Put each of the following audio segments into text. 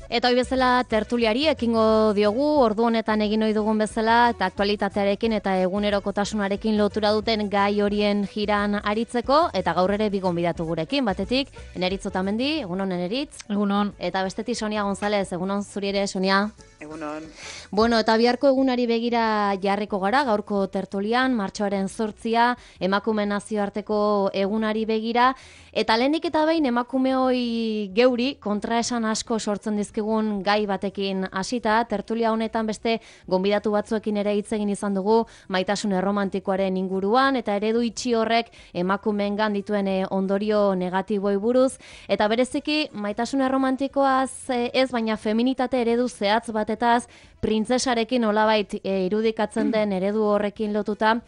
Eta hoi bezala tertuliari ekingo diogu, ordu honetan egin ohi dugun bezala, eta aktualitatearekin eta egunerokotasunarekin lotura duten gai horien jiran aritzeko, eta gaur ere bi gonbidatu gurekin, batetik, Eneritz Otamendi, egunon Eneritz. Egunon. Eta bestetik Sonia González, egunon zuri ere, Sonia. Egunon. Bueno, eta biharko egunari begira jarriko gara, gaurko tertulian, martxoaren 8, emakume nazioarteko egunari begira, eta lehenik eta behin emakumeoi geuri kontraesan asko sortzen dizkigun gai batekin hasita, tertulia honetan beste gonbidatu batzuekin ere hitz egin izan dugu maitasun erromantikoaren inguruan, eta eredu itxi horrek emakumeengan dituen ondorio negatiboi buruz, eta bereziki maitasun erromantikoaz ez, baina feminitate eredu zehatz batetaz, printzesarekin olabait irudikatzen den eredu horrekin lotuta,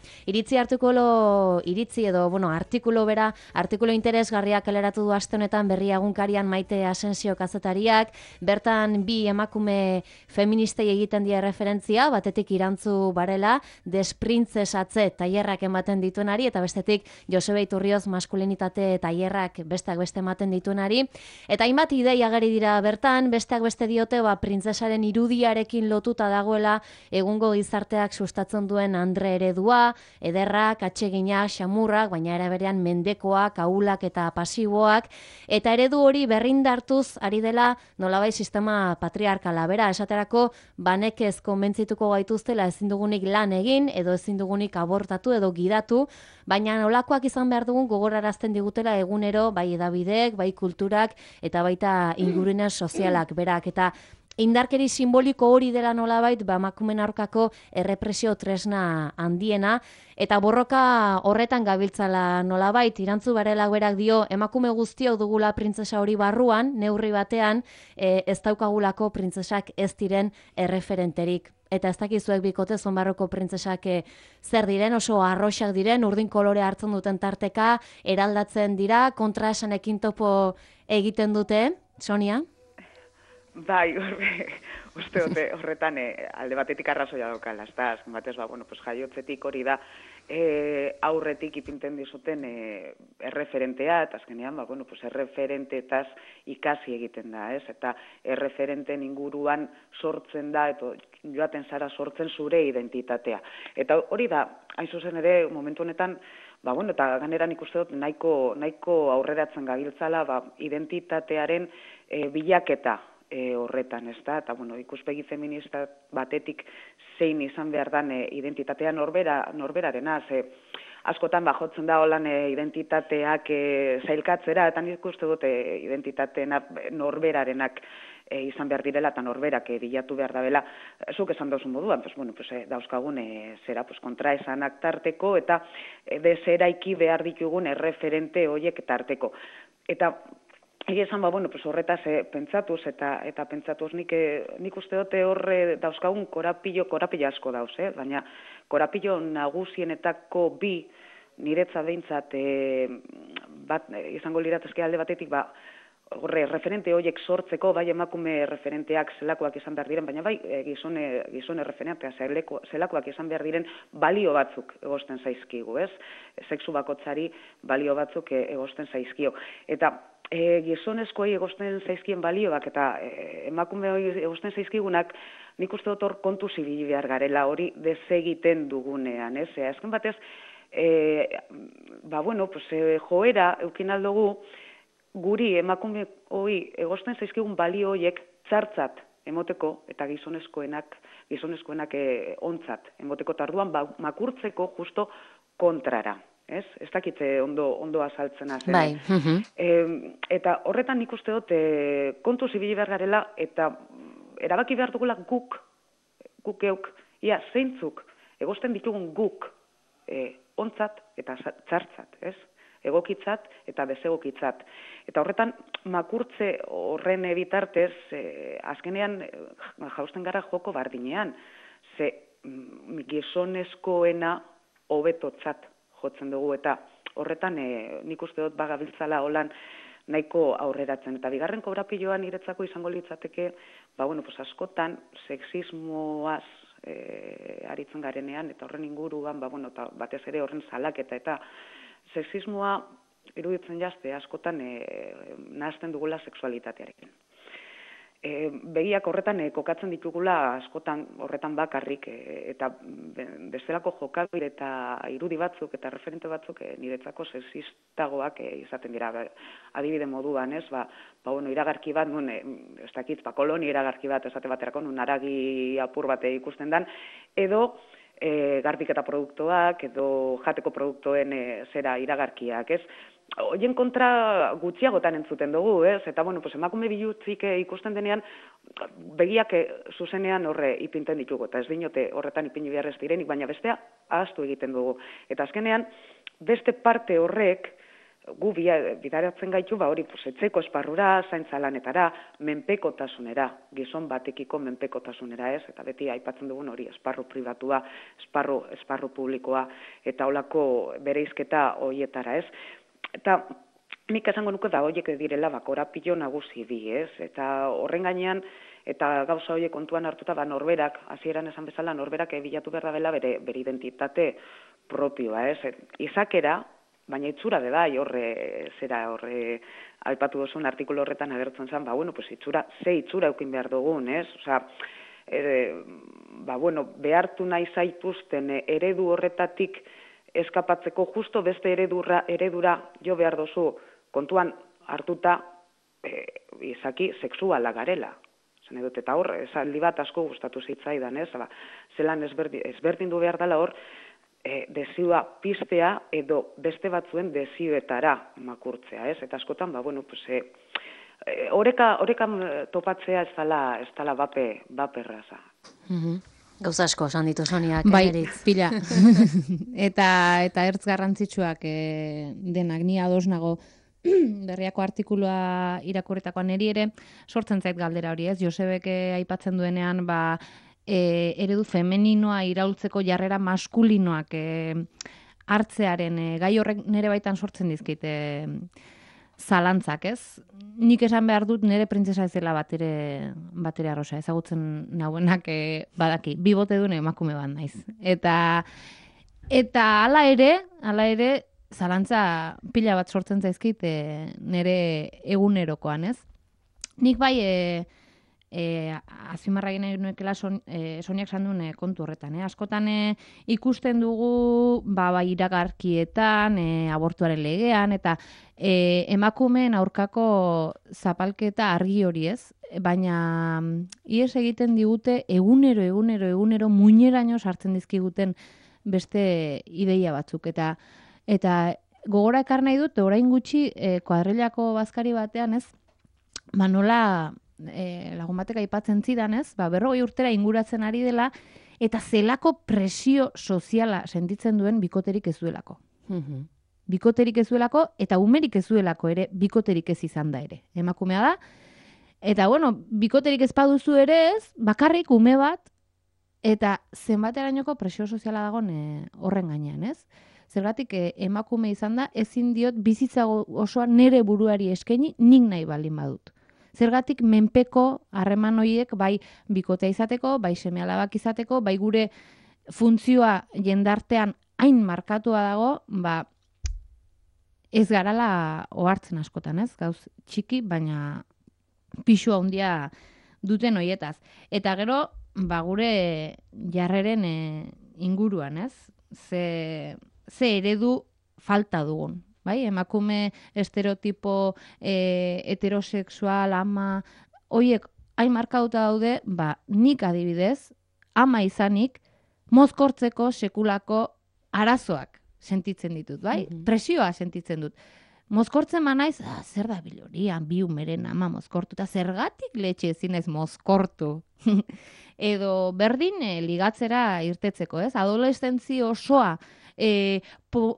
artikulu interesgarriak kaleratu du aste honetan Berri egunkarian Maite Asensio kazetariak, bertan bi emakume feministei egiten die referentzia, batetik Irantzu Barela, desprintzesatze tailerrak ematen dituenari, eta bestetik Josebe Iturrioz maskulinitate tailerrak besteak beste ematen dituenari, eta hainbat ideia ageri dira bertan, besteak beste diote printzesaren irudiarekin lotuta dagoela egungo gizarteak sustatzen duen andre eredua, ederrak, atseginak, xamurrak, baina era berean mendekoak, ahulak eta pasiboak, eta eredu hori berrindartuz ari dela nolabait sistema patriarkala. Bera, esaterako banekez konbentzituko gaituztela ezin dugunik lan egin, edo ezin dugunik abortatu edo gidatu, baina nolakoak izan behar dugun gogorarazten digutela egunero, bai edabideek, bai kulturak, eta baita ingurune sozialak berak, eta indarkeri simboliko hori dela nolabait, emakumeen aurkako errepresio tresna handiena, eta borroka horretan gabiltzala nolabait. Irantzu Barela berak dio, emakume guztiok dugula printzesa hori barruan, neurri batean, ez daukagulako printzesak ez diren erreferenterik. Eta ez dakizuek bikote zonbarroko printzesak zer diren, oso arroxak diren, urdin kolore hartzen duten tarteka, eraldatzen dira, kontraesanekin topo egiten dute, Sonia? Bai, uste dute horretan alde batetik arrazoia daukala, ezta, azken batez, jaiotzetik hori da aurretik ipinten dizuten erreferentea, eta azkenean, erreferentetaz ikasi egiten da, ez? Eta erreferenten inguruan sortzen da, eta joaten zara sortzen zure identitatea. Eta hori da, hain zuzen ere, momentu honetan, eta ganera nik uste dut nahiko aurreratzen gabiltzala, identitatearen bilaketa horretan, ez da, eta ikuspegi feminista batetik zein izan behar dan identitatea norberarena, ze askotan jotzen da holan identitateak zailkatzera, eta nik uste dut identitateena norberarenak izan behar direla eta norberak bilatu behar dabela, zuk esan dauzun moduan, dauzkagun kontraesanak tarteko eta deseraiki behar ditugun erreferente horiek tarteko. Eta egia esan, horretaz pentsatuz eta pentsatuz nik uste dute horre dauzkagun korapilo asko dauz, baina korapilo nagusienetako bi niretza behintzat bat izango liratezke alde batetik referente horiek sortzeko, bai emakume referenteak zelakoak izan behar diren, baina bai gizone referenteak zelakoak izan behar diren balio batzuk egosten zaizkigu, ez? Sexu bakotzari balio batzuk egosten zaizkio. Eta gizonezkoei egosten zaizkien balioak eta emakume hori egosten zaizkigunak, nik uste dut hor kontu zibili behar garela hori desegiten dugunean, ez? Azken batez, joera eukin aldugu, guri emakume hori egosten zaizkigun balio horiek txartzat emoteko eta gizonezkoenak ontzat emoteko tarduan makurtzeko justo kontrara. Ez dakitze ondo azaltzen azen. Bai. Eta horretan nik uste dut kontu zibili behar garela eta erabaki behar dugula guk geuk, zeintzuk egosten ditugun guk ontzat eta txartzat, ez? Egokitzat eta desegokitzat. Eta horretan makurtze horren bitartez azkenean jausten gara joko bardinean, ze gizonezkoena hobetotzat jotzen dugu, eta horretan nik uste dut bagabiltzala holan nahiko aurreratzen. Eta bigarren kobrapiloan niretzako izango litzateke, askotan sexismoaz aritzen garenean, eta horren inguruan, batez ere horren salaketa, eta sexismoa iruditzen jazte askotan nahazten dugula sexualitatearekin. begiak horretan kokatzen ditugula askotan horretan bakarrik eta bestelako jokabide eta irudi batzuk eta referente batzuk niretzako sexistagoak izaten dira. Adibide moduan, ez, bueno, iragarki bat, ez dakit, kolonia iragarki bat esate baterako, haragi apur bat ikusten dan, edo garbiketa produktuak, edo jateko produktuen zera iragarkiak, ez? Hoien kontra gutxiagotan entzuten dugu, ez? Eta, bueno, emakume bilutzik ikusten denean, begiak zuzenean horre ipinten ditugu, eta ez dinote horretan ipini behar ez direnik, baina bestea ahaztu egiten dugu. Eta azkenean, beste parte horrek, gu bidaratzen gaitu, hori, etxeko esparrura, zaintza lanetara, menpekotasunera, gizon batekiko menpekotasunera, ez? Eta beti aipatzen dugun hori, esparru pribatua, esparru publikoa, eta holako bereizketa horietara, ez? Eta nik esango nuke horiek direla korapilo nagusi bi, ez? Eta horren gainean, eta gauza horiek kontuan hartuta, norberak, hasieran esan bezala, norberak bilatu behar dela bere identitate propioa, ez? Izakera, baina itzura de bai, horre aipatu duzun artikulu horretan agertzen zen, bueno, itzura eukin behar dugun, ez? Osea, bueno, behartu nahi zaituzten eredu horretatik eskapatzeko justo beste eredura jo behar dozu kontuan hartuta izaki sexuala garela. Zene dut, eta hor, esaldi bat asko gustatu zitzaidan, ez? Zelan ezberdindu behar dela hor, desioa piztea edo beste batzuen desioetara makurtzea, ez? Eta askotan, bueno, horekan topatzea ez dela baperraza. Gauza asko esan ditu Soniak. Bai, pila. eta ertz garrantzitsuak denak, ni ados nago berriako artikulua irakurritakoan niri ere, sortzen zait galdera hori, ez? Josebek aipatzen duenean, eredu femeninoa iraultzeko jarrera maskulinoak hartzearen gai horrek nire baitan sortzen dizkit zalantzak, ez? Nik esan behar dut nire printzesa ez dela batere arrosa, ezagutzen nauenak badaki, bibote duen emakume bat naiz. Eta hala ere, zalantza pila bat sortzen zaizkit nire egunerokoan, ez? Nik bai azpimarra egin nahi nuekela Soniak esan duen kontu horretan. Askotan ikusten dugu iragarkietan, abortuaren legean, eta emakumeen aurkako zapalketa argi hori, ez? Baina ihes egiten digute egunero muineraino sartzen dizkiguten beste ideia batzuk. Eta gogora ekar nahi dut, orain gutxi kuadrilako bazkari batean, ez? Nola lagun batek aipatzen zidan, ez? 40 urtera inguratzen ari dela, eta zelako presio soziala sentitzen duen bikoterik ez duelako. Bikoterik ez duelako, eta umerik ez duelako ere, bikoterik ez izan da ere. Emakumea da, eta bueno, bikoterik ez baduzu ere ez, bakarrik ume bat, eta zenbaterainoko presio soziala dagoen horren gainean, ez? Zergatik emakume izan da, ezin diot bizitza osoa nere buruari eskaini, nik nahi baldin badut. Zergatik menpeko harreman horiek bai bikotea izateko, bai seme-alabak izateko, bai gure funtzioa jendartean hain markatua dago, ez garala ohartzen askotan, ez? Gauz txiki, baina pixua handia duten hoietaz. Eta gero, gure jarreren inguruan, ez? Ze eredu falta dugun. Bai, emakume estereotipo heterosexual, ama, horiek hain markauta daude, nik adibidez, ama izanik, mozkortzeko sekulako arazoak sentitzen ditut, bai? Presioa sentitzen dut. Mozkortzen manaiz, zer da bilorian, bi umeren ama mozkortu, eta zergatik letxe ezinez mozkortu. Edo berdin ligatzera irtetzeko, ez? Adolescentzi osoa,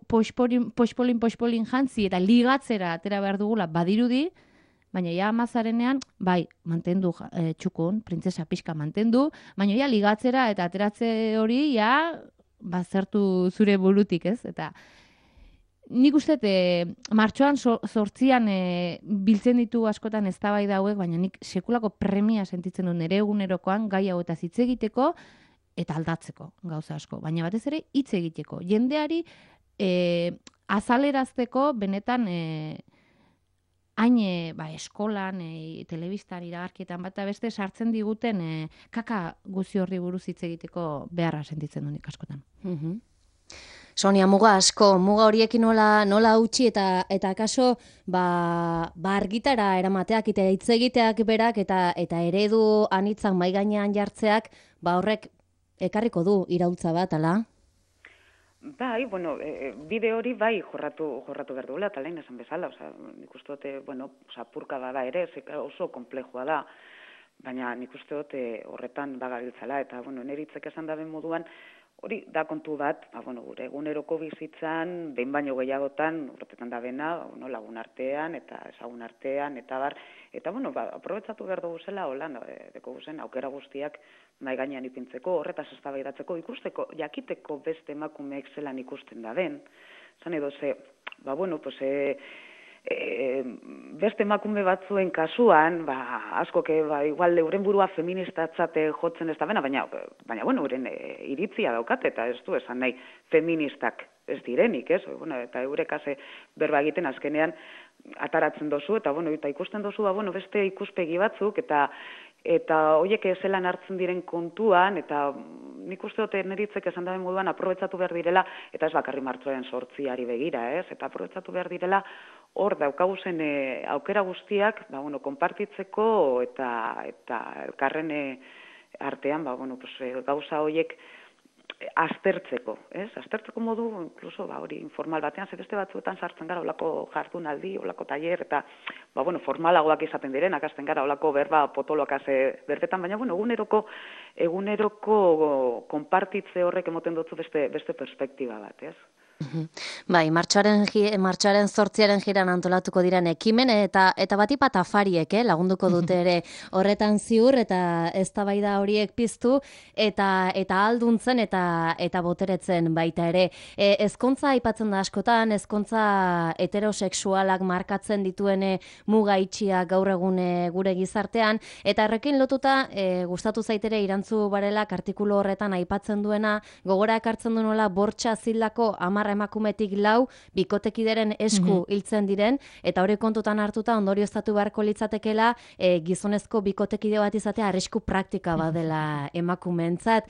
poxpolin jantzi eta ligatzera atera behar dugula badirudi, baina ja amazarenean, bai, mantendu txukun, printzesa pixka mantendu, baina ja ligatzera eta ateratze hori ja bazertu zure burutik, ez? Eta nik uste martxoan 8an biltzen ditu askotan eztabaida hauek, baina nik sekulako premia sentitzen dut nire egunerokoan gai hau eta hitz egiteko eta aldatzeko gauza asko. Baina batez ere hitz egiteko. Jendeari azalerazteko benetan hain eskolan, telebistan, iragarkietan bat eta beste sartzen diguten kaka guzi horri buruz hitz egiteko beharra sentitzen dut askotan. Sonia, muga asko, muga horiekin nola utzi eta kaso argitara eramateak eta hitz egiteak berak eta eredu anitzak mai gainean jartzeak, horrek ekarriko du iraultza bat, ala? Bai, bueno, bide hori bai jorratu behar duela, eta lehen esan bezala, nik uste dute, apurka da ere, oso komplejua da, baina nik uste dute horretan bagabiltzala, eta, neritzek esan daben moduan, hori da kontu bat, gure eguneroko bizitzan, behin baino gehiagotan, urtetan da bena, lagun artean, eta ezagun artean, eta bar, eta, aprobetsatu behar dugu zela, holan, deko guzen, aukera guztiak mai gainean ipintzeko, horretaz eztabaidatzeko, ikusteko, jakiteko beste emakumeek zelan ikusten da den, zan edo ze, beste emakume batzuen kasuan, asko igual euren burua feministatzate jotzen ez da bena, baina euren iritzia daukate, eta ez du esan nahi feministak ez direnik, ez? Eta eurek berba egiten azkenean ataratzen dozu, eta ikusten dozu, beste ikuspegi batzuk, eta horiek zelan hartzen diren kontuan, eta nik uste dute neritzek esan daben moduan aprobetsatu behar direla, eta ez bakarri martxoaren 8 begira, ez? Eta aprobetsatu behar direla hor daukaguzen aukera guztiak, konpartitzeko eta elkarren artean, gauza horiek aztertzeko, ez? Aztertzeko modu, inkluso, hori informal batean, beste batzuetan sartzen gara, olako jardunaldi, olako taller, eta, formalagoak izaten direnak, azten gara, olako berba potoloak berbetan, baina, eguneroko konpartitze horrek emoten dutzu beste perspektiba bat, ez? Bai, martxoaren 8 jiran antolatuko diren ekimen eta batipat afariek lagunduko dute ere horretan ziur eta eztabaida horiek piztu eta alduntzen eta boteretzen baita ere. Ezkontza aipatzen da askotan, ezkontza heterosexualak markatzen dituen muga itxiak gaur egun gure gizartean, eta horrekin lotuta gustatu zaitere Irantzu Barelak artikulu horretan aipatzen duena, gogora ekartzen du nola Bortxa Zildako 10 emakumetik 4 bikotekideren esku hiltzen diren, eta hori kontutan hartuta ondorioztatu beharko litzatekela gizonezko bikotekide bat izatea arrisku praktika badela emakumeentzat.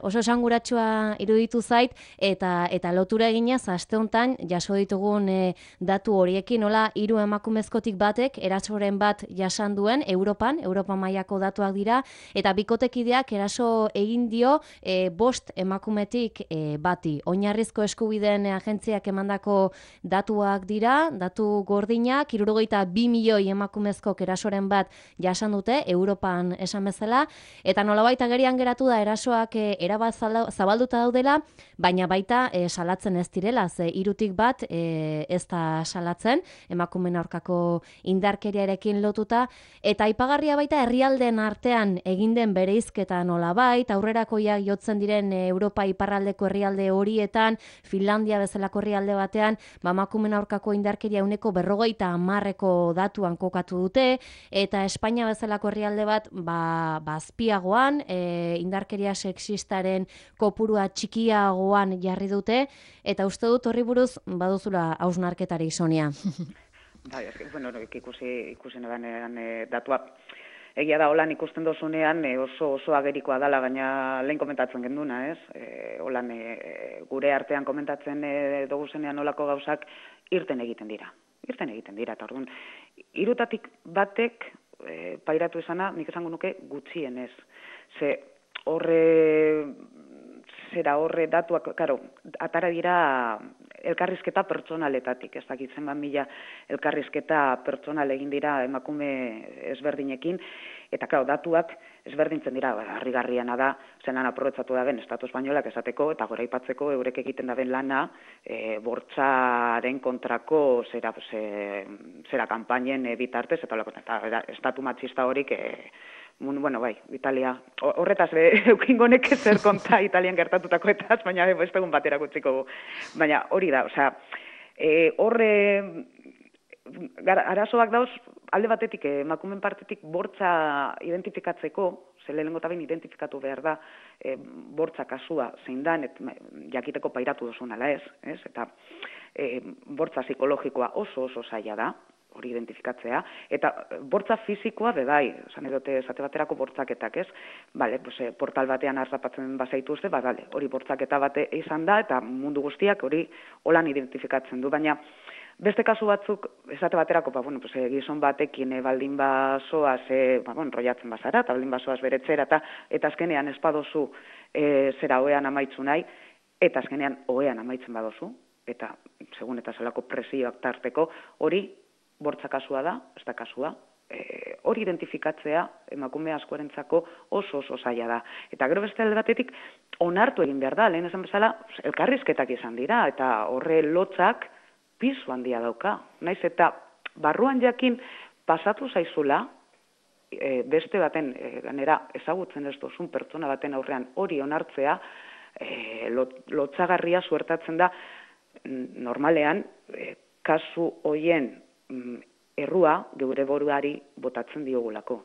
Oso esanguratsua iruditu zait, eta lotura eginez aste hontan jaso ditugun datu horiekin, nola 3 emakumezkotik batek erasoren bat jasan duen Europa mailako datuak dira, eta bikotekideak eraso egin dio 5 emakumetik bati. Oinarrizko eskubideen agentziak emandako datuak dira, datu gordinak, 62 milioi emakumezkok erasoren bat jasan dute, Europan esan bezala, eta nolabait agerian geratu da erasoak erabat zabalduta daudela, baina baita salatzen ez direla, ze 3tik bat ez da salatzen, emakumeen aurkako indarkeriarekin lotuta, eta aipagarria baita herrialdeen artean egin den bereizketa nolabait, aurrerakoiak jotzen diren Europa iparraldeko herrialde horietan, Finlandia bezalako herrialde batean, emakumeen aurkako indarkeria 50% datuan kokatu dute, eta Espainia bezalako herrialde bat azpiagoan, indarkeria sexistaren kopurua txikiagoan jarri dute, eta uste dut horri buruz baduzula hausnarketari, Sonia. Bai, ikusi nedanean datua. Egia da, holan ikusten dozunean oso agerikoa dela, baina lehen komentatzen genduna, ez? Holan gure artean komentatzen dugu zenean olako gauzak irten egiten dira, eta orduan, 3tatik batek pairatu izana, nik esango nuke gutxienez. Ze horre datuak, atara dira elkarrizketa pertsonaletatik, ez dakitzen mila elkarrizketa pertsonal egin dira emakume ezberdinekin, eta datuak ezberdintzen dira, harrigarriana da, zelan aprobetsatu da ben Estatu Espainolak esateko, eta gora aipatzeko eurek egiten da ben lana, bortxaren kontrako zera kanpainen bitartez, eta estatu matxista horik, Italia, horretaz eukingonek zer konta Italian gertatutakoetaz, baina beste egun batera gutziko. Baina hori da, arazoak dauz, alde batetik, emakumeen partetik bortza identifikatzeko, lehenengo eta behin identifikatu behar da bortza kasua zein dan, jakiteko pairatu duzun ala ez, eta bortza psikologikoa oso zaila da, hori identifikatzea, eta bortza fisikoa bai, esan edote esate baterako bortzaketak, ez? Bale, pues, portal batean harrapatzen bazaitu uste, bale, hori bortzaketa bate izan da, eta mundu guztiak hori holan identifikatzen du, baina beste kasu batzuk, esate baterako, bueno, pues, gizon batekin baldin basoaz, enrollatzen bazara, eta baldin basoaz beretzera, eta azkenean espadozu zera oean amaitzu nahi, eta azkenean oean amaitzen badozu, eta segun eta zelako presioak tarteko, hori bortza kasua da, ez da kasua, hori identifikatzea emakume askorentzako oso zaila da. Eta gero beste alde batetik onartu egin behar da, lehen esan bezala, elkarrizketak izan dira, eta horre lotzak pisu handia dauka. Naiz eta barruan jakin pasatu zaizula, beste baten, ganera ezagutzen ez duzun pertsona baten aurrean hori onartzea, lotzagarria suertatzen da normalean, kasu hoien errua geure buruari botatzen diogulako.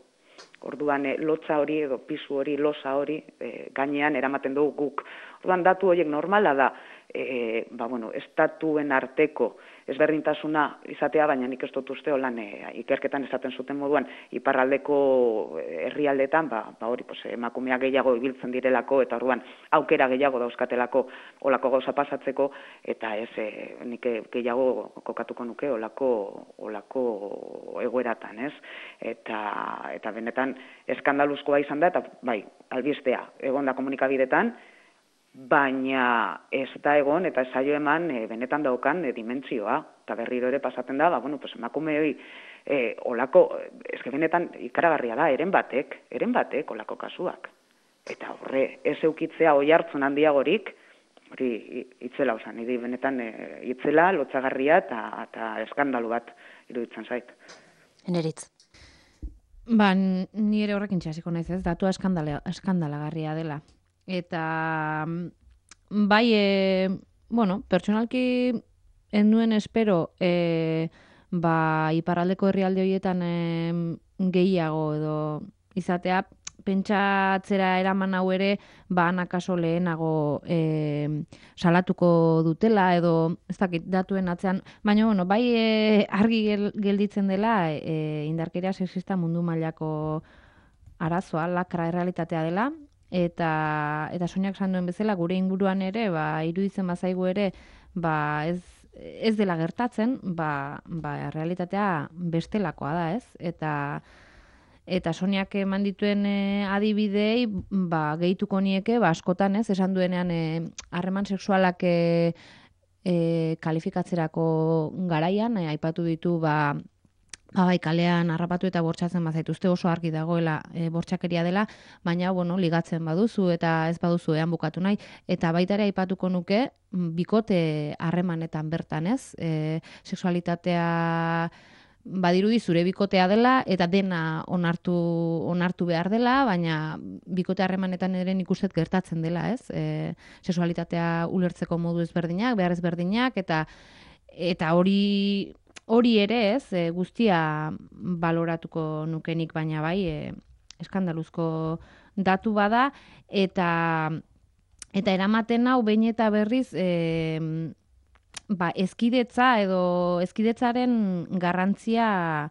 Orduan lotza hori edo pisu hori, losa hori gainean eramaten dugu guk. Orduan datu horiek normala da, estatuen arteko ezberdintasuna izatea, baina nik ez dut uste holan ikerketan esaten zuten moduan iparraldeko herrialdetan, hori emakumea gehiago ibiltzen direlako, eta orduan aukera gehiago dauzkatelako holako gauza pasatzeko, eta ez nik gehiago kokatuko nuke holako egoeratan, ez? Eta benetan eskandaluzkoa izan da, eta bai, albistea, egon da komunikabidetan, baina ez da egon eta esaio eman benetan daukan dimentsioa, eta berriro ere pasaten da, emakume hori olako, eske benetan ikaragarria da, eren batek olako kasuak. Eta horre, ez eukitzea oi hartzun handiagorik, hori itzela osan, niri benetan itzela, lotzagarria eta eskandalu bat iruditzen zait. Eneritz. Ni ere horrekin txasiko naiz ez, datua eskandalagarria dela. Eta bai, pertsonalki nuen espero iparraldeko herrialde horietan gehiago edo izatea, pentsatzera eraman hau ere akaso lehenago salatuko dutela edo ez dakit datuen atzean, baina bai argi gelditzen dela indarkeria sexista mundu mailako arazoa, lakra errealitatea dela. Eta Soniak esan duen bezala, gure inguruan ere, iruditzen bazaigu ere, ez dela gertatzen, realitatea bestelakoa da, ez? Eta Soniak eman dituen adibidei, gehituko nieke, askotan, ez? Esan duenean, harreman sexualak kalifikatzerako garaian, aipatu ditu, kalean harrapatu eta bortxatzen bazaituzte, oso argi dagoela bortxakeria dela, baina ligatzen baduzu eta ez baduzu bukatu nahi, eta baita ere aipatuko nuke bikote harremanetan bertan, ez? Sexualitatea badirudi zure bikotea dela eta dena onartu behar dela, baina bikote harremanetan ere nik uste gertatzen dela, ez? Sexualitatea ulertzeko modu ezberdinak, behar ezberdinak, eta hori ere ez, guztia baloratuko nukenik, baina bai, eskandaluzko datu bada, eta eramaten hau behin eta berriz ezkidetza edo ezkidetzaren garrantzia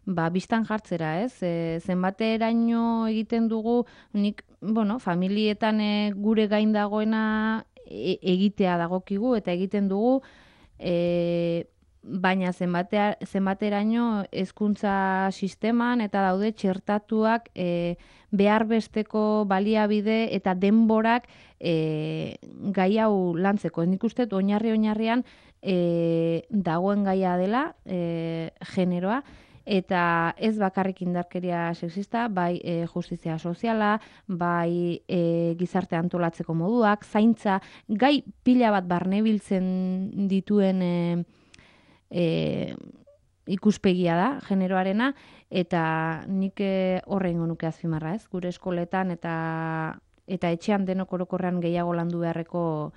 bistan jartzera, ez? Zenbateraino egiten dugu, nik, familietan gure gain dagoena egitea dagokigu, eta egiten dugu, baina zenbateraino hezkuntza sisteman eta daude txertatuak behar besteko baliabide eta denborak gai hau lantzeko. Nik uste oinarrian dagoen gaia dela generoa, eta ez bakarrik indarkeria sexista, bai justizia soziala, bai gizarte antolatzeko moduak, zaintza, gai pila bat barnebiltzen dituen ikuspegia da, generoarena, eta nik horrengo nuke azpimarra, ez? Gure eskoletan eta etxean denok orokorrean gehiago landu beharreko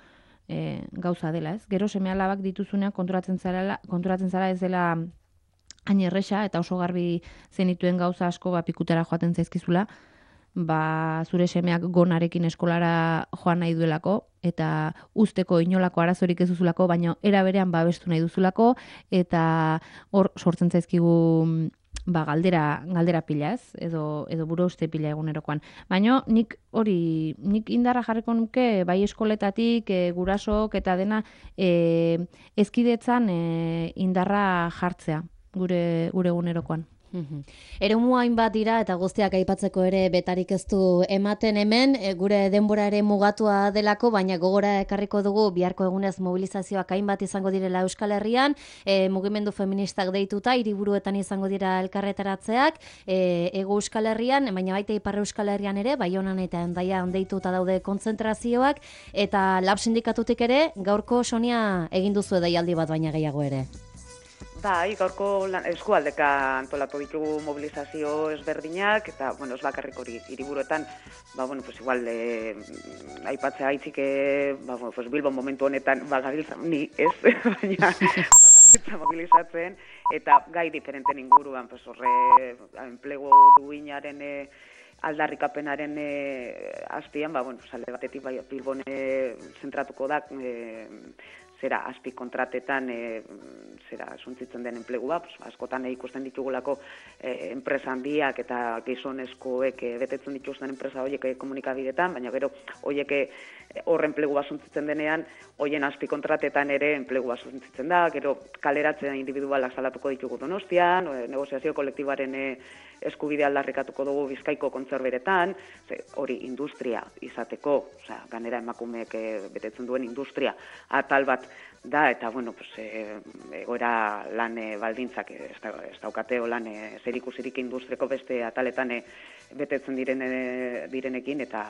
gauza dela, ez? Gero seme-alabak dituzunean konturatzen zara ez dela hain erresa, eta oso garbi zenituen gauza asko pikutara joaten zaizkizula, zure semeak gonarekin eskolara joan nahi duelako, eta usteko inolako arazorik ez duzulako, baina era berean babestu nahi duzulako, eta hor sortzen zaizkigu galdera pila, ez? Edo buruhauste pila egunerokoan. Baina nik indarra jarriko nuke, bai eskoletatik, gurasok eta dena ezkidetzan indarra jartzea gure egunerokoan. Eremu hainbat dira eta guztiak aipatzeko ere betarik ez du ematen hemen, gure denbora ere mugatua delako, baina gogora ekarriko dugu biharko egunez mobilizazioak hainbat izango direla Euskal Herrian, mugimendu feministak deituta, hiriburuetan izango dira elkarretaratzeak, Hego Euskal Herrian, baina baita Ipar Euskal Herrian ere, Baionan eta Hendaian deituta daude kontzentrazioak, eta Lab sindikatutik ere, gaurko Sonia egin duzu deialdi bat baina gehiago ere. Bai, gaurko eskualdeka antolatu ditugu mobilizazio ezberdinak, eta, ez bakarrik hori hiriburuetan, igual, aipatzea haitzik, Bilbon momentu honetan, gabiltza, ni ez, baina, gabiltza mobilizatzen, eta gai diferenten inguruan, horre, enplegu duinaren aldarrikapenaren azpian, alde batetik, Bilbon zentratuko da, azpi kontratetan suntzitzen den enplegua, askotan ikusten ditugulako enpresa handiak eta gizonezkoek betetzen dituzten enpresa horiek komunikabidetan, baina gero horiek hor enplegua suntzitzen denean, horien azpi kontratetan ere enplegua suntzitzen da, gero kaleratzen individualak salatuko ditugu Donostian, negoziazio kolektiboaren eskubidea aldarrikatuko dugu Bizkaiko kontzerberetan, hori industria izateko, ganera emakumeek betetzen duen industria atal bat da, eta, egoera lan baldintzak ez daukateo lan zerikusirik industriako beste ataletan betetzen direnekin, eta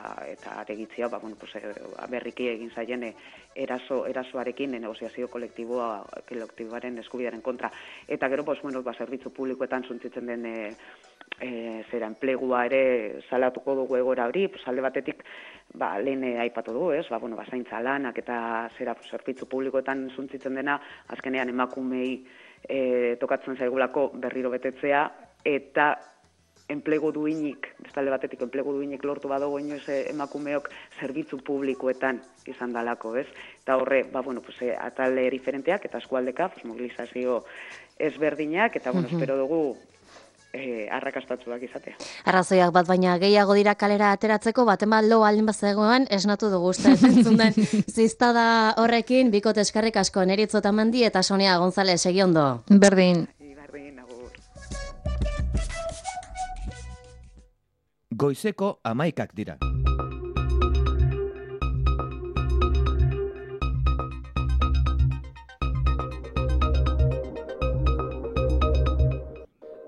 aregitzia, berriki egin zaien erasoarekin negoziazio kolektiboaren eskubidearen kontra. Eta gero, zerbitzu publikoetan suntzitzen den enplegua ere salatuko dugu egoera hori, alde batetik lehen aipatu dugu, zaintza lanak eta zerbitzu publikoetan suntzitzen dena, azkenean emakumei tokatzen zaigulako berriro betetzea, eta enplegu duinik, bestalde batetik enplegu duinik lortu badago inoiz emakumeok zerbitzu publikoetan izan dalako, ez? Eta horre, atale diferenteak eta eskualdeka, mobilizazio ezberdinak, eta espero dugu arrakastatsuak izatea. Arrazoiak bat baina gehiago dira kalera ateratzeko, baten bat lo aldin bazegoen esnatu dugu uste entzun den ziztada horrekin, bikote eskerrik asko Neritzo Otamendi eta Sonia González, egi ondo. Berdin. Agur. Goizeko 11 dira.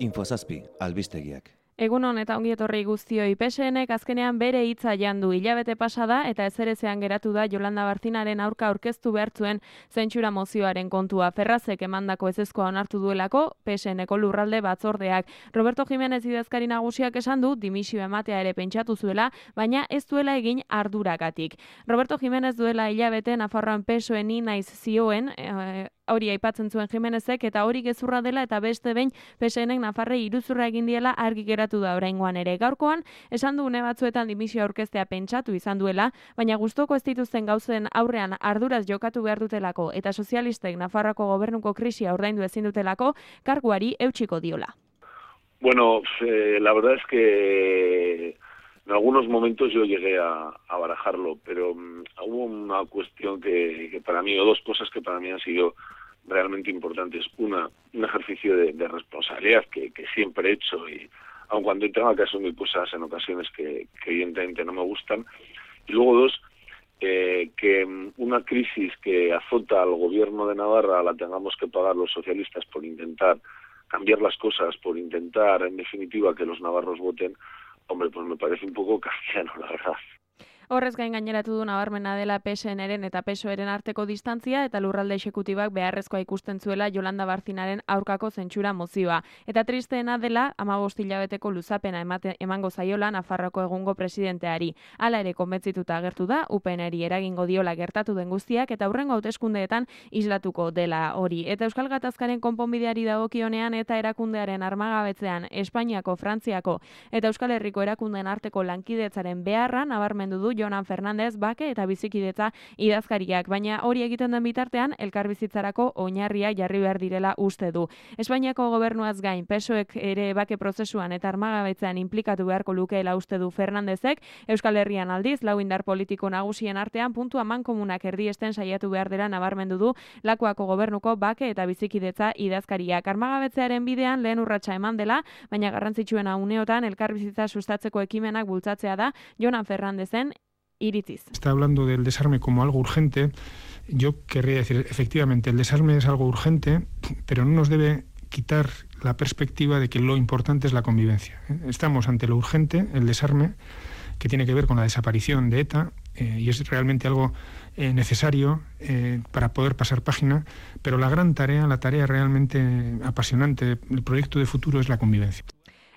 Infozazpi, albistegiak. Egunon eta ongi etorri guztioi, PSNek azkenean bere hitza jandu, hilabete pasada eta ezerezean geratu da Yolanda Barcinaren aurka aurkeztu behartzuen zentsura mozioaren kontua. Ferrazek emandako ezezkoa onartu duelako, PSNeko lurralde batzordeak. Roberto Jiménez idazkari nagusiak esan du dimisio ematea ere pentsatu zuela, baina ez duela egin arduragatik. Roberto Jiménez duela hilabete Nafarroan PSOE-ni naiz zioen, hori aipatzen zuen Jimenezek, eta hori gezurra dela eta beste behin PSNek Nafarrei iruzurra egin diela argi geratu da oraingoan ere. Gaurkoan, esan du une batzuetan dimisio aurkeztea pentsatu izan duela, baina gustoko ez dituzten gauzen aurrean arduraz jokatu behar dutelako eta sozialistek Nafarroako gobernuko krisia ordaindu ezin dutelako, karguari eutsiko diola. Bueno, la verdad es que en algunos momentos yo llegué a barajarlo, pero hubo una cuestión que para mí, o dos cosas que para mí han sido realmente importantes. Una, un ejercicio de responsabilidad que siempre he hecho, y aun cuando tenga que asumir cosas en ocasiones que evidentemente no me gustan. Y luego dos, que una crisis que azota al gobierno de Navarra la tengamos que pagar los socialistas por intentar cambiar las cosas, por intentar, en definitiva, que los navarros voten. Hombre, pues me parece un poco kafkiano, la verdad. Horrez gain gaineratu du nabarmena dela PSNren eta PSOEren arteko distantzia eta lurralde exekutibak beharrezkoa ikusten zuela Yolanda Barcinaren aurkako zentsura mozioa. Eta tristeena dela 15 hilabeteko luzapena emango zaiola Nafarroako egungo presidenteari. Hala ere konbentzituta agertu da UPNri eragingo diola gertatu den guztiak eta hurrengo hauteskundeetan islatuko dela hori. Eta Euskal Gatazkaren konponbideari dagokionean eta erakundearen armagabetzean Espainiako, Frantziako eta Euskal Herriko erakundeen arteko lankidetzaren beharra nabarmendu du Jonan Fernandez bake eta bizikidetza idazkariak, baina hori egiten den bitartean elkarbizitzarako oinarria jarri behar direla uste du. Espainiako gobernuaz gain PSOEk ere bake prozesuan eta armagabetzean inplikatu beharko lukeela uste du Fernandezek, Euskal Herrian aldiz lau indar politiko nagusien artean puntu amankomunak erdiesten saiatu behar dela nabarmendu du Lakuako gobernuko bake eta bizikidetza idazkariak. Armagabetzearen bidean lehen urratsa eman dela, baina garrantzitsuena uneotan elkarbizitza sustatzeko ekimenak bultzatzea da Jonan Fernandezen iritziz. Está hablando del desarme como algo urgente. Yo querría decir, efectivamente, el desarme es algo urgente, pero no nos debe quitar la perspectiva de que lo importante es la convivencia. Estamos ante lo urgente, el desarme, que tiene que ver con la desaparición de ETA, y es realmente algo necesario para poder pasar página, pero la gran tarea, la tarea realmente apasionante, el proyecto de futuro es la convivencia.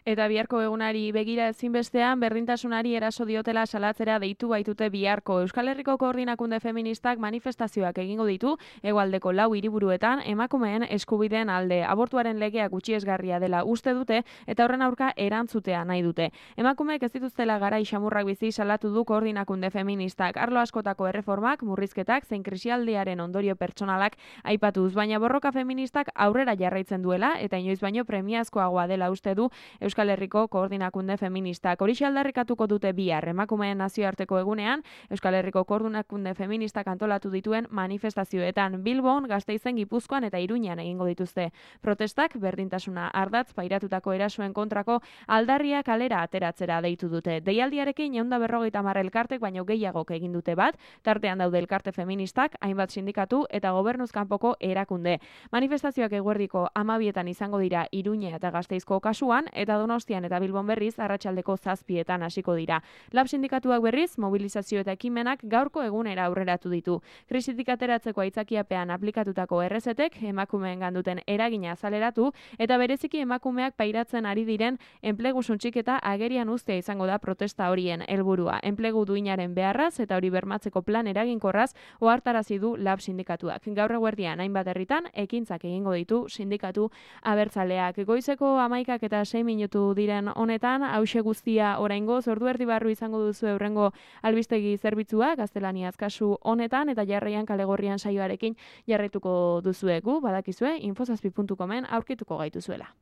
Eta biharko egunari begira ezinbestean berdintasunari eraso diotela salatzera deitu baitute biharko. Euskal Herriko Koordinakunde Feministak manifestazioak egingo ditu hegoaldeko 4 hiriburuetan emakumeen eskubideen alde. Abortuaren legea gutxiesgarria dela uste dute eta horren aurka erantzutea nahi dute. Emakumeek ez dituztela garai xamurrak bizi salatu du Koordinakunde Feministak. Arlo askotako erreformak, murrizketak zein krisialdiaren ondorio pertsonalak aipatuz, baina borroka feministak aurrera jarraitzen duela eta inoiz baino premiazkoagoa dela uste du Euskal Herriko Koordinakunde Feministak. Horixe aldarrikatuko dute bihar emakumeen nazioarteko egunean, Euskal Herriko Koordinakunde Feministak antolatu dituen manifestazioetan Bilbon, Gasteizen, Gipuzkoan eta Iruñan egingo dituzte. Protestak berdintasuna ardatz pairatutako erasoen kontrako aldarria kalera ateratzera deitu dute. Deialdiarekin 150 elkartek baino gehiagok egin dute bat, tartean daude elkarte feministak, hainbat sindikatu eta gobernuz kanpoko erakunde. Manifestazioak eguerdiko 12etan izango dira Iruña eta Gasteizko kasuan eta Donostian eta Bilbon berriz arratsaldeko 7etan hasiko dira. Lab sindikatuak berriz mobilizazio eta ekimenak gaurko egunera aurreratu ditu. Krisitik ateratzeko aitzakiapean aplikatutako errezetek emakumeengan duten eragina azaleratu eta bereziki emakumeak pairatzen ari diren enplegu suntsiketa agerian uztea izango da protesta horien helburua. Enplegu duinaren beharraz eta hori bermatzeko plan eraginkorraz ohartarazi du Lab sindikatuak. Gaur eguerdian hainbat herritan ekintzak egingo ditu sindikatu abertzaleak. Goizeko 11 eta 6 minutu diren honetan, hauxe guztia oraingoz, ordu erdi barru izango duzu hurrengo albistegi zerbitzua, gaztelaniaz kasu honetan, eta jarraian kalegorrian saioarekin jarraituko duzuegu, badakizue, infozazpi.comen aurkituko gaituzuela.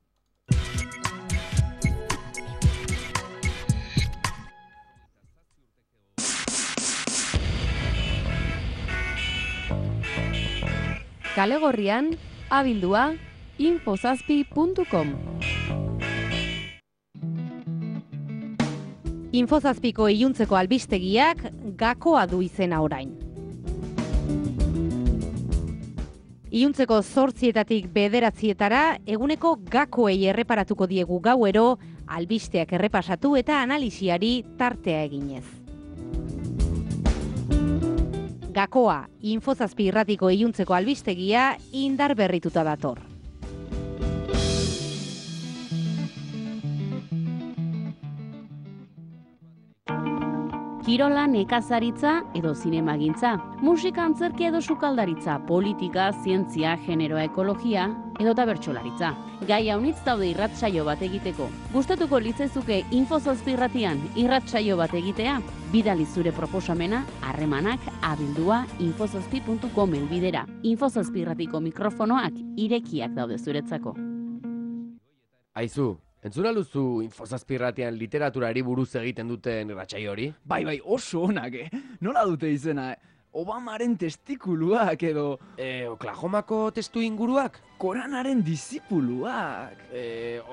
Kalegorrian, abildua, infozazpi.com. Infozazpiko iluntzeko albistegiak gakoa du izena orain. Iluntzeko 8:00 9:00 eguneko gakoei erreparatuko diegu gauero, albisteak errepasatu eta analisiari tartea eginez. Gakoa, Infozazpi irratiko iluntzeko albistegia indar berrituta dator. Kirola, nekazaritza edo zinemagintza, musika, antzerkia edo sukaldaritza, politika, zientzia, generoa, ekologia edo bertsolaritza. Gai haunitz daude irratsaio bat egiteko. Gustatuko litzaizuke Infozazpi irratian irratsaio bat egitea? Bidali zure proposamena, harremanak, abildua, infozazpi.com helbidera. Infozazpi irratiko mikrofonoak irekiak daude zuretzako. Aizu, entzun aluzu Infozazpi irratian literaturari buruz egiten duten irratsaio hori? Bai, oso onak, Nola dute izena, Obamaren testikuluak edo... Oklahomako testu inguruak? Koranaren disipuluak.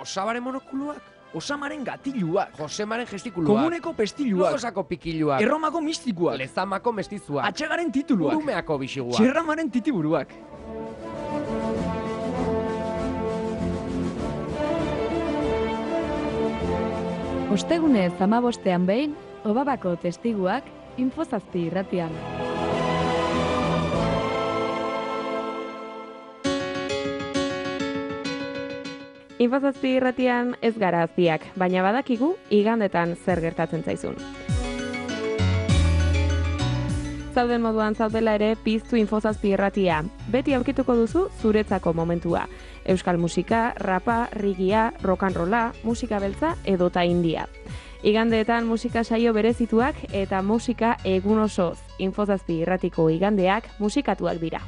Osabaren monokuluak? Osamaren gatiluak. Josemaren gestikuluak. Komuneko pestiluak. Logosako pikiluak. Erromako mistikuak. Lezamako mestizuak. Atxegaren tituluak. Urumeako bisiguak. Txerramaren titiburuak. Ostegunez 15ean behin, Obamako testiguak Info7 irratian. Info7 irratian ez gara azpiak, baina badakigu igandetan zer gertatzen zaizun. Zauden moduan zaudela ere piztu Info7 irratia. Beti aurkituko duzu zuretzako momentua. Euskal musika, rapa, rigia, rock and rolla, musika beltza edota india. Igandeetan musika saio berezituak eta musika egun osoz. Info7 irratiko igandeak musikatuak dira.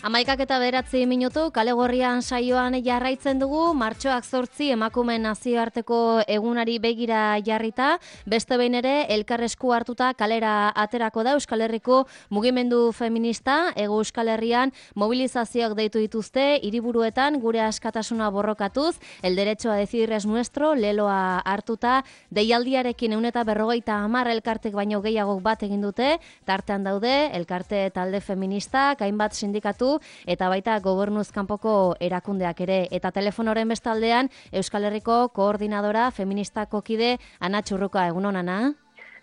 Amaikak eta 9 minutu, kale gorrian saioan jarraitzen dugu, martxoak 8 emakumeen nazioarteko egunari begira jarrita, beste behin ere elkarresku hartuta kalera aterako da Euskal Herriko mugimendu feminista, Hego Euskal Herrian mobilizazioak deitu dituzte, hiriburuetan gure askatasuna borrokatuz, el derecho a decidir es nuestro, leloa hartuta, deialdiarekin 150 elkartek baino gehiago bat egin dute, tartean daude, elkarte talde feministak, hainbat sindikatu, eta baita gobernuz kanpoko erakundeak ere. Eta telefonoren bestaldean Euskal Herriko koordinadora feministako kide Ana Txurruka, egunon, Ana?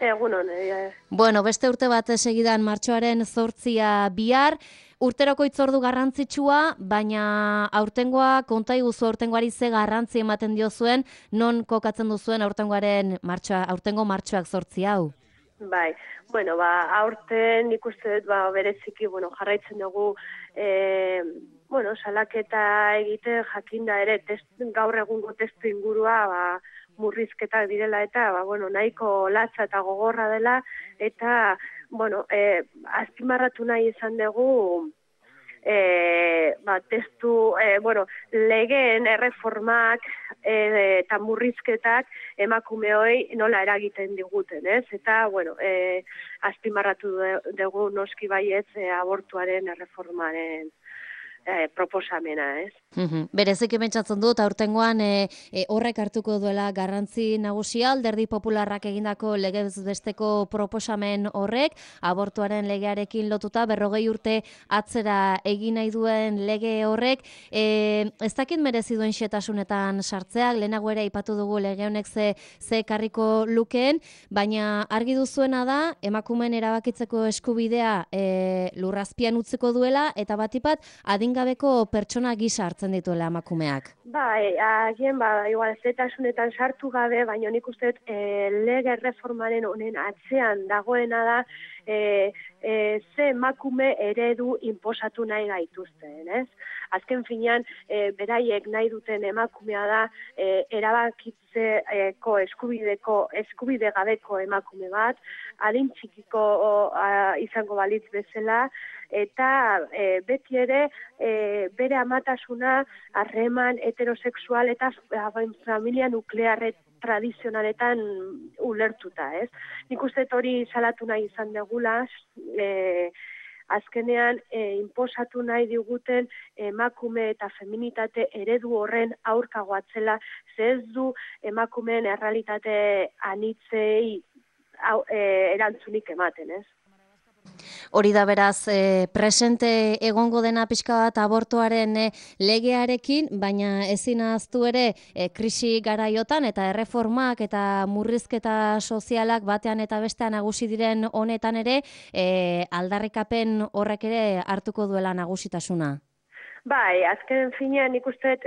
Egunon. Bueno, beste urte bat segidan martxoaren 8 bihar, urteroko hitzordu garrantzitsua, baina aurtengoa konta iguzu aurtengoari ze garrantzi ematen diozuen, non kokatzen duzuen aurtengo martxoak 8 hau? Bai, bueno, aurten ikuste dut bereziki, jarraitzen dugu salaketa egite jakinda ere gaur egungo testu ingurua murrizketak direla eta nahiko latza eta gogorra dela eta azpimarratu nahi izan dugu legeen erreformak eta murrizketak emakumeoi nola eragiten diguten, ez? Eta, azpimarratu dugu noski baietz abortuaren erreformaren proposamena, ez? Bereziki pentsatzen dut, aurtengoan horrek hartuko duela garrantzi nagusia, Alderdi Popularrak egindako legez besteko proposamen horrek, abortuaren legearekin lotuta, 40 urte atzera egin nahi duen lege horrek, ez dakit merezi duen xetasunetan sartzeak, lehenago ere aipatu dugu lege honek ze karriko lukeen, baina argi duzuena da, emakumeen erabakitzeko eskubidea lurrazpian utziko duela, eta batipat, adingabeko pertsona gisa hartzen dituela emakumeak. Agien, igual zetasunetan sartu gabe, baina nik uste lege reformaren honen atzean dagoena da ze emakume eredu inposatu nahi gaituzten, ez? Azken finean, beraiek nahi duten emakumea da erabakitzeko eskubide gabeko emakume bat, adin txikiko izango balitz bezala, eta beti ere bere amatasuna harreman heterosexual eta familia nuklearret tradizionaletan ulertuta, ez? Nik uste hori salatu nahi izan degula, azkenean inposatu nahi diguten emakume eta feminitate eredu horren aurkagoatzela, ze ez du emakumeen errealitate anitzei erantzunik ematen, ez? Hori da beraz, presente egongo dena pixka bat abortuaren legearekin, baina ezin ahaztu ere krisi garaiotan eta erreformak eta murrizketa sozialak batean eta bestean nagusi diren honetan ere, aldarrikapen horrek ere hartuko duela nagusitasuna. Bai, azken finean nik uste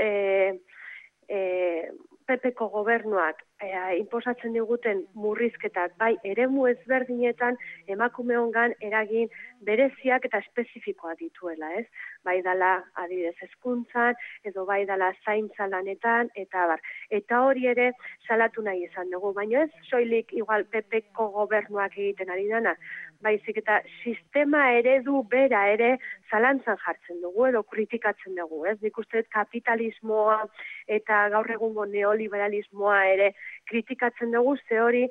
PPko gobernuak inposatzen diguten murrizketak, bai eremu ezberdinetan emakumeongan eragin bereziak eta espezifikoak dituela, ez? Bai dala adibidez hezkuntzan, edo bai dala zaintza lanetan, eta bar. Eta hori ere salatu nahi izan dugu, baina ez soilik igual PPko gobernuak egiten ari dana, baizik eta sistema eredu bera ere zalantzan jartzen dugu edo kritikatzen dugu, ez? Nik uste kapitalismoa eta gaur egungo neoliberalismoa ere kritikatzen dugu, ze hori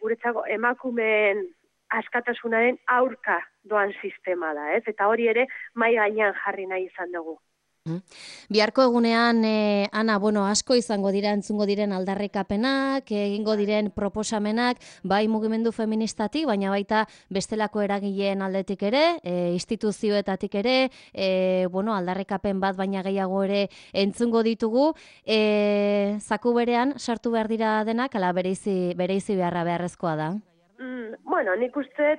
guretzako emakumeen askatasunaren aurka doan sistema da, ez? Eta hori ere mahai gainean jarri nahi izan dugu. Biharko egunean, Ana, asko izango dira entzungo diren aldarrikapenak, egingo diren proposamenak, bai mugimendu feministatik, baina baita bestelako eragileen aldetik ere, instituzioetatik ere, aldarrikapen bat baina gehiago ere entzungo ditugu, zaku berean sartu behar dira denak, ala bereizi beharra beharrezkoa da? Nik uste,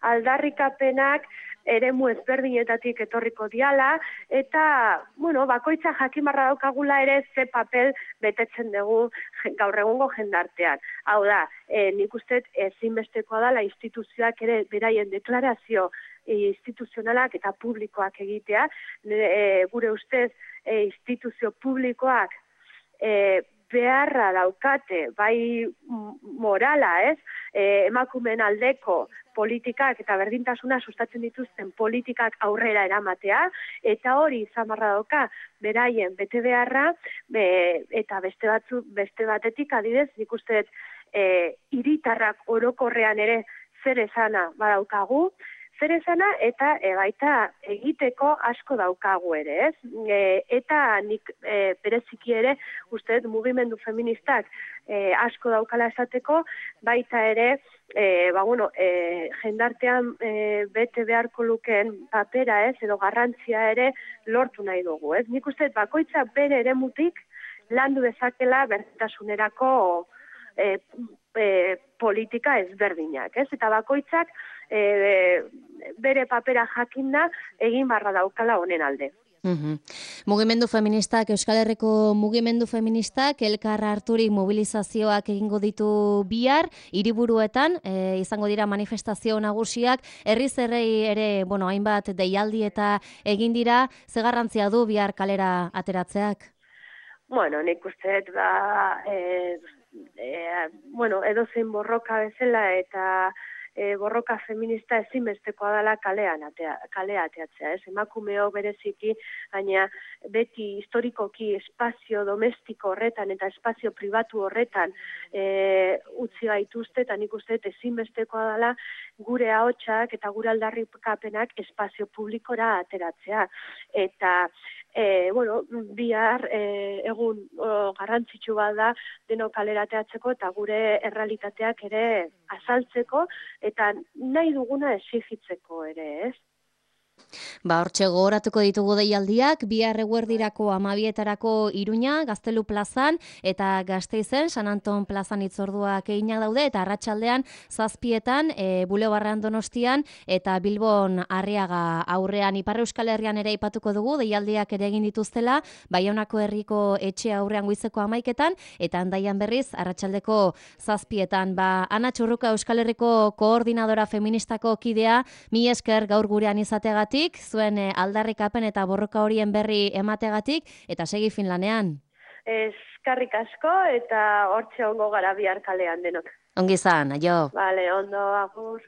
aldarrikapenak eremu ezberdinetatik etorriko diala, eta, bakoitza jakimarra daukagula ere ze papel betetzen dugu gaur egungo jendartean. Hau da, nik uste ezinbestekoa dela instituzioak ere beraien deklarazio instituzionalak eta publikoak egitea, gure ustez instituzio publikoak beharra daukate, bai morala, ez? Emakumeen aldeko politikak eta berdintasuna sustatzen dituzten politikak aurrera eramatea, eta hori izan barra dauka beraien bete beharra, eta beste batetik adidez, nik uste hiritarrak orokorrean ere zer esana badaukagu, zer esana eta baita egiteko asko daukagu ere, ez? Eta nik bereziki ere, uste mugimendu feministak asko daukala esateko, baita ere, jendartean bete beharko lukeen papera, ez? Edo garrantzia ere lortu nahi dugu, ez? Nik uste bakoitza bere eremutik landu dezakela berdintasunerako politika ezberdinak, ez? Eta bakoitzak bere papera jakinda egin barra daukala honen alde. Mugimendu feministak, Euskal Herriko mugimendu feministak, elkar harturik mobilizazioak egingo ditu bihar, hiriburuetan, izango dira manifestazio nagusiak, herriz herrei ere, hainbat deialdi eta egin dira, ze garrantzia du bihar kalera ateratzeak? Nik uste, edozein borroka bezala eta borroka feminista ezinbestekoa dela kalea ateatzea, ez? Emakumeo bereziki, baina beti historikoki espazio domestiko horretan eta espazio pribatu horretan utzi gaituzte, eta nik uste ezinbestekoa dela gure ahotsak eta gure aldarrikapenak espazio publikora ateratzea. Eta bihar egun garrantzitsu bat da denok kalera ateatzeko eta gure errealitateak ere azaltzeko eta nahi duguna exigitzeko ere, ez? Hortxe gogoratuko ditugu deialdiak, bihar eguerdirako 12etarako Iruña, Gaztelu plazan, eta Gasteizen, San Anton plazan hitzorduak eginak daude, eta arratsaldean 7etan, Bulebarrean Donostian, eta Bilbon Arriaga aurrean. Ipar Euskal Herrian ere aipatuko dugu, deialdiak ere egin dituztela, Baionako herriko etxe aurrean goizeko 11etan, eta Handaian berriz, arratsaldeko 7etan. Ana Txurruka, Euskal Herriko koordinadora feministako kidea, mila esker gaur gurean izateagatik, zuen aldarrikapen eta borroka horien berri emategatik, eta segi Finlanean. Eskerrik asko, eta hortxe ongo gara bihar kalean denok. Ongi izan, aio. Vale, ondo, agur.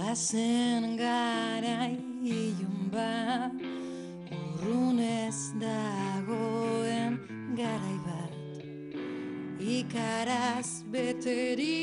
Bazen garai ilun bat, urrunez dagoen garai bat, ikaraz beteri